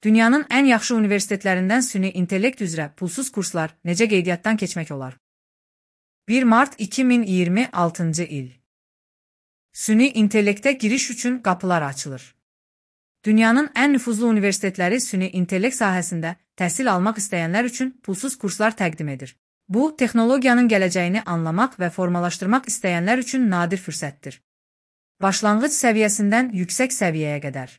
Dünyanın ən yaxşı universitetlərindən süni intellekt üzrə pulsuz kurslar necə qeydiyyatdan keçmək olar? 1 mart 2026-cı il. Süni intellektə giriş üçün qapılar açılır. Dünyanın ən nüfuzlu universitetləri süni intellekt sahəsində təhsil almaq istəyənlər üçün pulsuz kurslar təqdim edir. Bu, texnologiyanın gələcəyini anlamaq və formalaşdırmaq istəyənlər üçün nadir fürsətdir. Başlanğıc səviyyəsindən yüksək səviyyəyə qədər.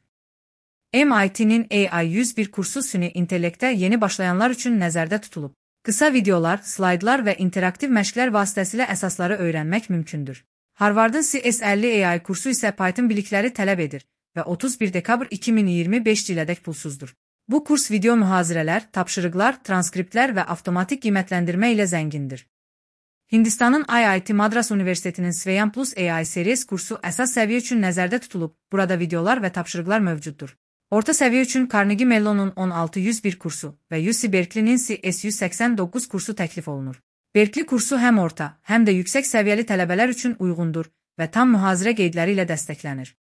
MIT-nin AI101 kursu süni intellektə yeni başlayanlar üçün nəzərdə tutulub. Qısa videolar, slaydlar və interaktiv məşqlər vasitəsilə əsasları öyrənmək mümkündür. Harvardın CS50 AI kursu isə Python bilikləri tələb edir və 31 dekabr 2025 ilədək pulsuzdur. Bu kurs video mühazirələr, tapşırıqlar, transkriptlər və avtomatik qiymətləndirmə ilə zəngindir. Hindistanın IIT Madras Universitetinin Swayan Plus AI Series kursu əsas səviyyə üçün nəzərdə tutulub, burada videolar və tapşırıqlar mövcuddur. Orta səviyyə üçün Carnegie Mellon'un 16101 kursu və UC Berkeley'nin CS189 kursu təklif olunur. Berkeley kursu həm orta, həm də yüksək səviyyəli tələbələr üçün uyğundur və tam mühazirə qeydləri ilə dəstəklənir.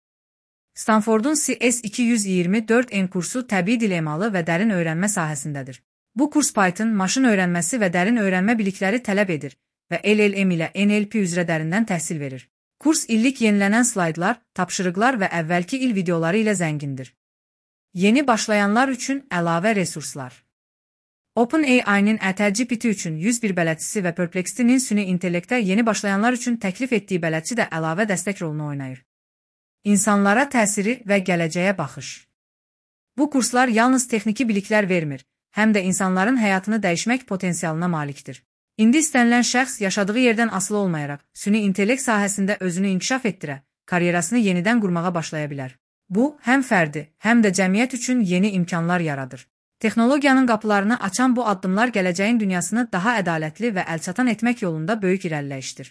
Stanfordun CS224N kursu təbii dil emalı və dərin öyrənmə sahəsindədir. Bu kurs Python, maşın öyrənməsi və dərin öyrənmə bilikləri tələb edir və LLM ilə NLP üzrə dərindən təhsil verir. Kurs illik yenilənən slaydlar, tapşırıqlar və əvvəlki il videoları ilə zəngindir. Yeni başlayanlar üçün əlavə resurslar. OpenAI-nin ChatGPT üçün 101 bələdçisi və Perplexity-nin süni intellektə yeni başlayanlar üçün təklif etdiyi bələdçi də əlavə dəstək rolunu oynayır. İnsanlara təsiri və gələcəyə baxış. Bu kurslar yalnız texniki biliklər vermir, həm də insanların həyatını dəyişmək potensialına malikdir. İndi istənilən şəxs yaşadığı yerdən asılı olmayaraq, süni intellekt sahəsində özünü inkişaf etdirə, karyerasını yenidən qurmağa başlaya bilər. Bu, həm fərdi, həm də cəmiyyət üçün yeni imkanlar yaradır. Texnologiyanın qapılarını açan bu addımlar gələcəyin dünyasını daha ədalətli və əlçatan etmək yolunda böyük irəliləyişdir.